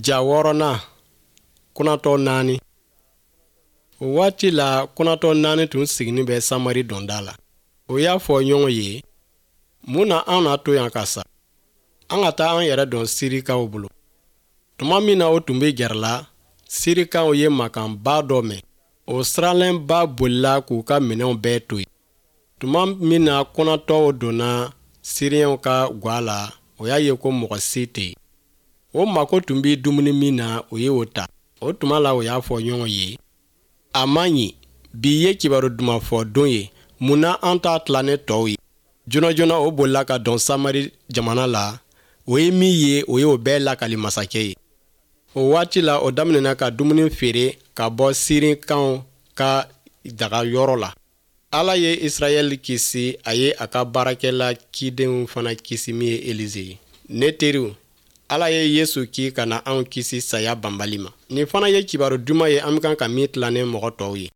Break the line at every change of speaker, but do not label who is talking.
Ja wɔɔrɔnan, kunatɔ naani. O waati la, kunatɔ naani tun siginin bɛ Samari donda la. O y'a fɔ ɲɔgɔn ye, mun na an na to yan ka sa? An ka taa an yɛrɛ don Sirikaw bolo. Tuma min na o tun bɛ gɛrɛla, Sirikaw ye mankanba dɔ mɛn. O siranlenba bolila k'u ka minɛnw bɛɛ to yen. Tuma min na kunatɔw donna Siriyɛnw ka gwa la, o y'a ye ko mɔgɔ si tɛ yen. O mako tun bɛ dumuni min na, o ye o ta. O tuma la, o y'a fɔ ɲɔgɔn ye, a man ɲi, bi ye kibaru duman fɔ don ye, mun na an t'a tila ni tɔw ye? Joona joona o bolila ka don Samari jamana la. O ye min ye, o ye o bɛɛ lakali masakɛ ye. O waati la, o daminɛna ka dumuni feere ka bɔ Sirikaw ka daga yɔrɔ la. Ala ye Israɛl kisi, a ye a ka baarakɛla cidenw fana kisi min ye Elize ye. Ne teriw, Ala ye Yesu ci ka na anw kisi saya banbali ma. Nin fana ye kibaru duman ye an bɛ kan ka min tila ni mɔgɔ tɔw ye.